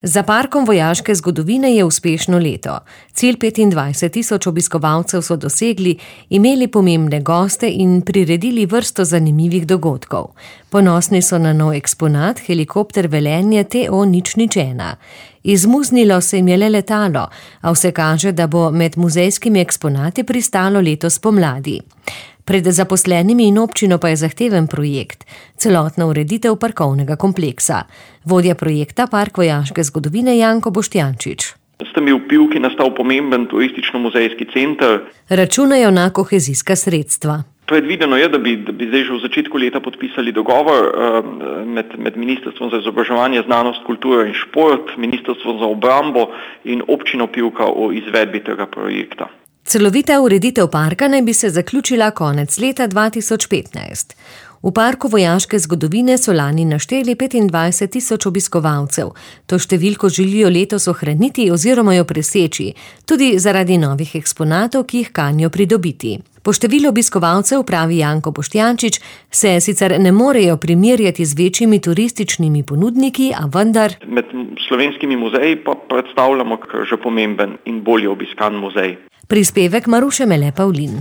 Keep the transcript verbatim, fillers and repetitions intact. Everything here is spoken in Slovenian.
Za parkom vojaške zgodovine je uspešno leto. Cilj petindvajset tisoč obiskovalcev so dosegli, imeli pomembne goste in priredili vrsto zanimivih dogodkov. Ponosni so na nov eksponat, helikopter Velenje T O nič nič ena. Izmuznilo se jim je le letalo, a vse kaže, da bo med muzejskimi eksponati pristalo letos pomladi. Pred zaposlenimi in občino pa je zahteven projekt, celotna ureditev parkovnega kompleksa. Vodja projekta Park vojaške zgodovine Janko Boštjančič. S temi vpivki nastal pomemben turistično-muzejski center. Računajo na kohezijska sredstva. Predvideno je, da bi, da bi zdaj že v začetku leta podpisali dogovor med, med Ministrstvom za izobraževanje, znanost, kulturo in šport, Ministrstvom za obrambo in občino Pivka o izvedbi tega projekta. Celovita ureditev parka naj bi se zaključila konec leta dva tisoč petnajst. V parku vojaške zgodovine so lani našteli petindvajset tisoč obiskovalcev. To številko želijo letos ohraniti oziroma jo preseči, tudi zaradi novih eksponatov, ki jih kanijo pridobiti. Po številu obiskovalcev, pravi Janko Boštjančič, se sicer ne morejo primerjati z večjimi turističnimi ponudniki, a vendar med slovenskimi muzeji pa predstavljamo kar že pomemben in bolje obiskan muzej. Prispevek Maruše Mele Pavlin.